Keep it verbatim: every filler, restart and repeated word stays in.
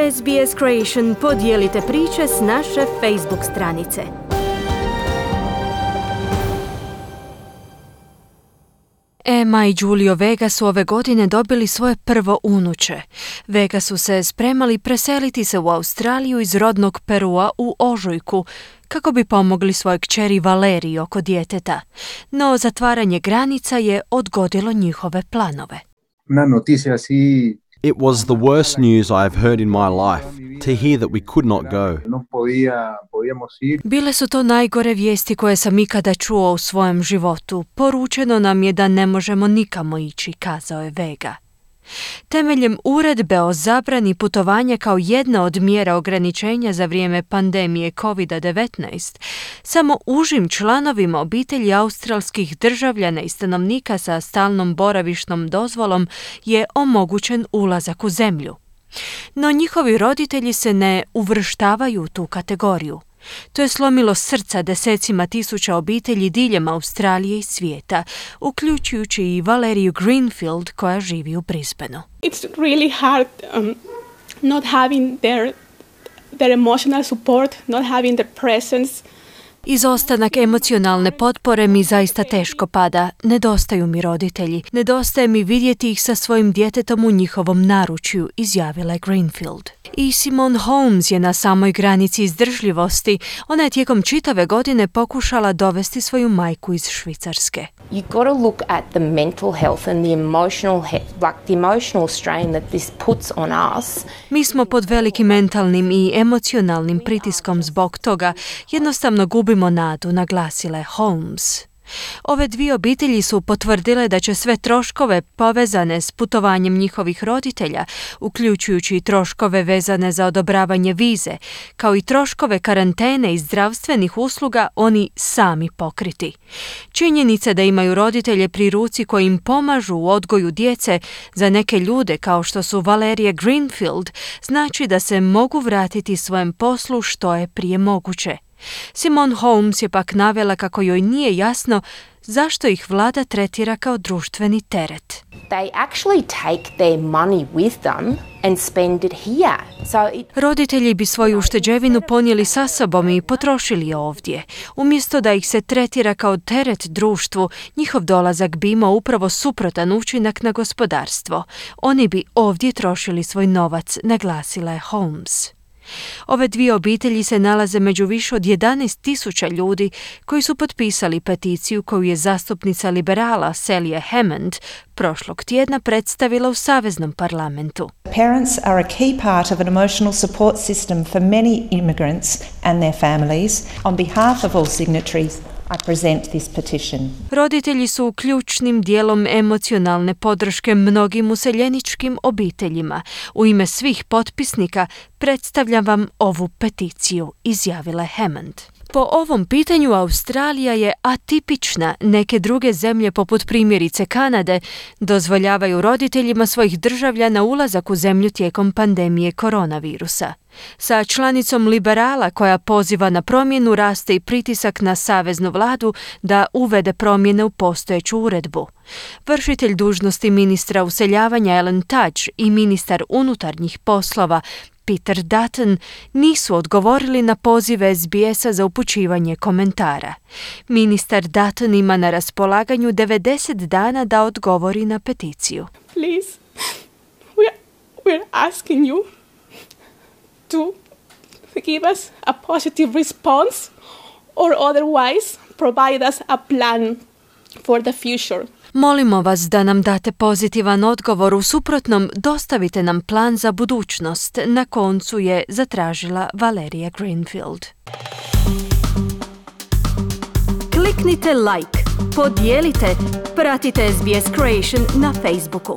S B S Creation podijelite priče s naše Facebook stranice. Emma i Julio Vega su ove godine dobili svoje prvo unuče. Vega su se spremali preseliti se u Australiju iz rodnog Perua u ožujku, kako bi pomogli svojoj kćeri Valeriji oko djeteta. No zatvaranje granica je odgodilo njihove planove. Una noticia así. It was the worst news I have heard in my life, to hear that we could not go. No podía, podíamos ir. Bile su to najgore vijesti koje sam ikada čuo u svojem životu. Poručeno nam je da ne možemo nikamo ići, kazao je Vega. Temeljem uredbe o zabrani putovanja kao jedna od mjera ograničenja za vrijeme pandemije kovid devetnaest, samo užim članovima obitelji australskih državljana i stanovnika sa stalnom boravišnom dozvolom je omogućen ulazak u zemlju. No njihovi roditelji se ne uvrštavaju u tu kategoriju. To je slomilo srca desecima tisuća obitelji diljem Australije i svijeta, uključujući i Valeriju Greenfield koja živi u Brisbaneu. It's really hard um, not having their, their emotional support, not having their presence. Izostanak emocionalne potpore mi zaista teško pada. Nedostaju mi roditelji. Nedostaje mi vidjeti ih sa svojim djetetom u njihovom naručju, izjavila je Greenfield. I Simone Holmes je na samoj granici izdržljivosti. Ona je tijekom čitave godine pokušala dovesti svoju majku iz Švicarske. You got to look at the mental health and the emotional he- like the emotional strain that this puts on us. Mi smo pod velikim mentalnim i emocionalnim pritiskom zbog toga. Jednostavno gubimo nadu, naglasila je Holmes. Ove dvije obitelji su potvrdile da će sve troškove povezane s putovanjem njihovih roditelja, uključujući i troškove vezane za odobravanje vize, kao i troškove karantene i zdravstvenih usluga, oni sami pokriti. Činjenica da imaju roditelje pri ruci koji im pomažu u odgoju djece za neke ljude kao što su Valerija Greenfield znači da se mogu vratiti svojem poslu što je prije moguće. Simone Holmes je pak navela kako joj nije jasno zašto ih vlada tretira kao društveni teret. They actually take their money with them and spend it here. So it... Roditelji bi svoju ušteđevinu ponijeli sa sobom i potrošili je ovdje. Umjesto da ih se tretira kao teret društvu, njihov dolazak bi imao upravo suprotan učinak na gospodarstvo. Oni bi ovdje trošili svoj novac, naglasila je Holmes. Ove dvije obitelji se nalaze među više od jedanaest tisuća ljudi koji su potpisali peticiju koju je zastupnica liberala Celia Hammond prošlog tjedna predstavila u Saveznom parlamentu. Parents are a key part of an emotional support system for many immigrants and their families. On behalf of all signatories, I present this petition. Roditelji su ključnim dijelom emocionalne podrške mnogim useljeničkim obiteljima. U ime svih potpisnika predstavljam vam ovu peticiju, izjavila je Hammond. Po ovom pitanju Australija je atipična. Neke druge zemlje, poput primjerice Kanade, dozvoljavaju roditeljima svojih državljana ulazak u zemlju tijekom pandemije koronavirusa. Sa članicom liberala koja poziva na promjenu raste i pritisak na saveznu vladu da uvede promjene u postojeću uredbu. Vršitelj dužnosti ministra useljavanja Alan Tudge i ministar unutarnjih poslova Peter Dutton nisu odgovorili na poziv S B S-a za upućivanje komentara. Ministar Dutton ima na raspolaganju devedeset dana da odgovori na peticiju. Please, we're, we're asking you to give us a positive response or otherwise provide us a plan for the future. Molimo vas da nam date pozitivan odgovor, u suprotnom dostavite nam plan za budućnost, na koncu je zatražila Valerija Greenfield. Kliknite like, podijelite, pratite S B S Creation na Facebooku.